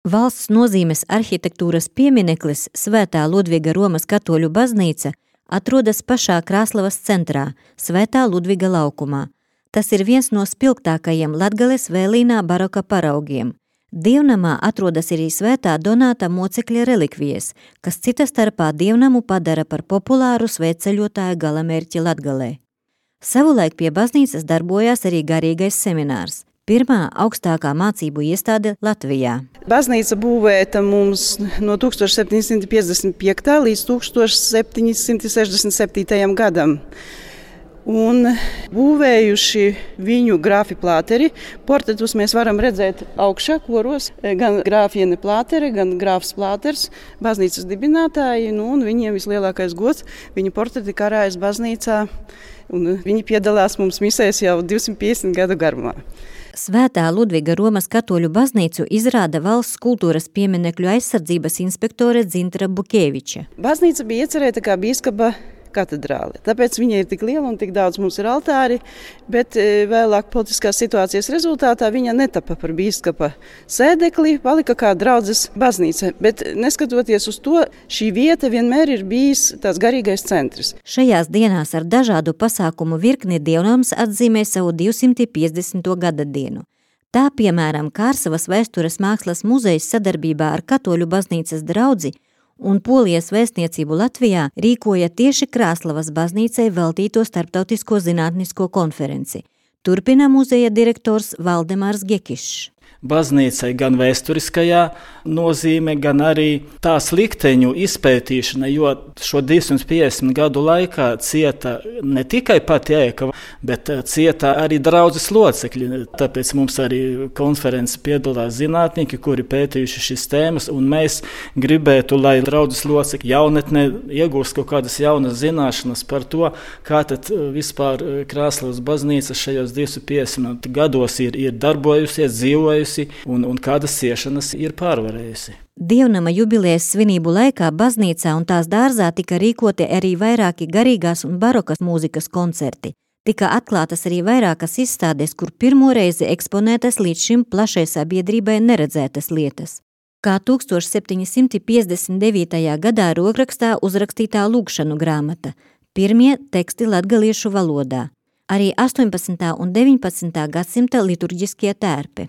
Valsts nozīmes arhitektūras piemineklis Svētā Ludviga Romas katoļu baznīca atrodas pašā Krāslavas centrā, Svētā Ludviga laukumā. Tas ir viens no spilgtākajiem Latgales vēlīnā baroka paraugiem. Dievnamā atrodas arī Svētā Donāta mocekļa relikvijas, kas cita starpā dievnamu padara par populāru svētceļotāju galamērķi Latgalē. Savulaik pie baznīcas darbojās arī garīgais seminārs, pirmā augstākā mācību iestāde Latvijā. Baznīca būvēta mums no 1755. līdz 1767. gadam. Un būvējuši viņu grāfi Plāteri. Portretus mēs varam redzēt augšā koros, gan grāfiene Plātere, gan grāfs Plāters, baznīcas dibinātāji, un viņiem vislielākais gods, viņu portreti karājas baznīcā, un viņi piedalās mums misēs jau 250 gadu garumā. Svētā Ludviga Romas katoļu baznīcu izrāda valsts kultūras pieminekļu aizsardzības inspektore Dzintra Bukēviča. Baznīca bija iecerēta kā bīskapa katedrāle. Tāpēc viņa ir tik liela un tik daudz mums ir altāri, bet vēlāk politiskās situācijas rezultātā viņa netapa par bīskapa sēdekli, palika kā draudzes baznīca. Bet neskatoties uz to, šī vieta vienmēr ir bijis tāds garīgais centrs. Šajās dienās ar dažādu pasākumu virkni dievnams atzīmē savu 250. gada dienu. Tā, piemēram, Kārsavas vēstures mākslas muzejs sadarbībā ar katoļu baznīcas draudzi un Polijas vēstniecību Latvijā rīkoja tieši Krāslavas baznīcai veltīto starptautisko zinātnisko konferenci. Turpina muzeja direktors Valdemārs Gekišs. Baznīcai gan vēsturiskajā nozīme, gan arī tās likteņu izpētīšana, jo šo 250 gadu laikā cieta ne tikai pati ēka, bet cieta arī draudzes locekļi. Tāpēc mums arī konferences piedalās zinātnieki, kuri pētījuši šīs tēmas, un mēs gribētu, lai draudzes locekļi jaunatnē iegūst kaut kādas jaunas zināšanas par to, kā tad vispār Krāslavas baznīca šajos 250 gados ir darbojusies, dzīvojusi, un kādas ciešanas ir pārvarējusi. Dievnama jubilejas svinību laikā baznīcā un tās dārzā tika rīkoti arī vairāki garīgās un barokas mūzikas koncerti. Tika atklātas arī vairākas izstādes, kur pirmo reizi eksponētas līdz šim plašai sabiedrībai neredzētas lietas. Kā 1759. gadā rokrakstā uzrakstītā lūgšanu grāmata, pirmie teksti latgaliešu valodā, arī 18. un 19. gadsimta liturģiskie tērpi.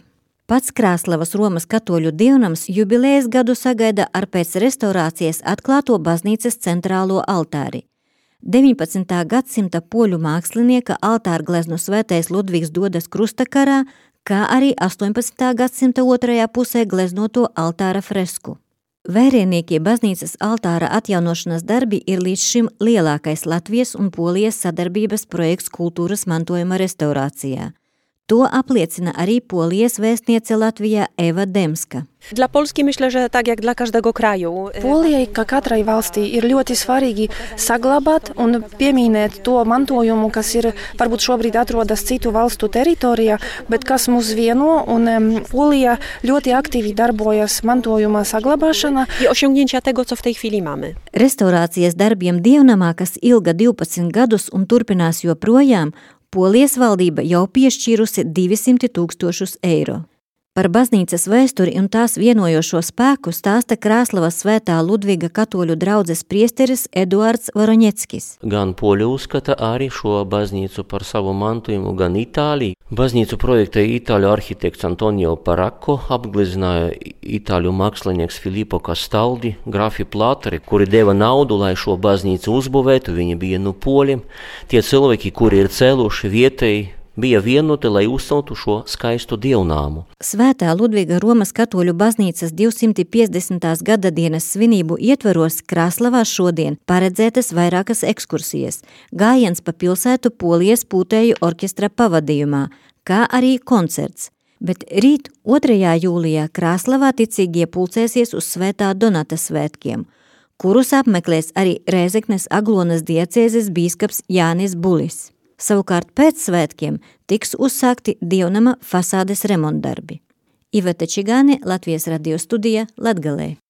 Pats Krāslavas Romas katoļu dievnams jubilejas gadu sagaida ar pēc restaurācijas atklāto baznīcas centrālo altāri. 19. gadsimta poļu mākslinieka altārgleznu svētais Ludvigs dodas krustakarā, kā arī 18. gadsimta otrajā pusē gleznoto altāra fresku. Vērienīkie baznīcas altāra atjaunošanas darbi ir līdz šim lielākais Latvijas un Polijas sadarbības projekts kultūras mantojuma restaurācijā. To apliecina arī Polijas vēstniece Latvijā Eva Demska. Dla Polski myślę, że tak jak dla każdego kraju. Polijai, kā katrai valstī, ir ļoti svarīgi saglabāt un pieminēt to mantojumu, kas ir varbūt šobrīd atrodas citu valstu teritorijā, bet kas mūs vieno, un Polija ļoti aktīvi darbojas mantojuma saglabāšanā. I osiągnięcia tego, co w tej chwili mamy. Restaurācijas darbiem dievnamā, kas ilga 12 gadus un turpinās joprojām, Polijas valdība jau piešķīrusi 200 000 eiro. Par baznīcas vēsturi un tās vienojošo spēku stāsta Krāslavas Svētā Ludviga katoļu draudzes priesteris Eduards Voroņeckis. Gan Poļi uzskata arī šo baznīcu par savu mantojumu, gan Itālija. Baznīcu projektēja itāļu arhitekts Antonio Paracco, apglezināja itāļu mākslinieks Filippo Castaldi, grafi Plāteri, kuri deva naudu, lai šo baznīcu uzbūvētu, viņi bija no Poļiem. Tie cilvēki, kuri ir cēluši vietēji, bija vienoti, lai uzceltu šo skaistu dievnāmu. Svētā Ludviga Romas katoļu baznīcas 250. gada dienas svinību ietveros Krāslavā šodien paredzētas vairākas ekskursijas, gājiens pa pilsētu Polijas pūtēju orķestra pavadījumā, kā arī koncerts. Bet rīt 2. jūlijā Krāslavā ticīgie pulcēsies uz Svētā Donata svētkiem, kurus apmeklēs arī Rēzeknes Aglonas diecēzes bīskaps Jānis Bulis. Savukārt pēc svētkiem tiks uzsākti dievnama fasādes remontdarbi. Iveta Čigāne, Latvijas radio studija, Latgalē.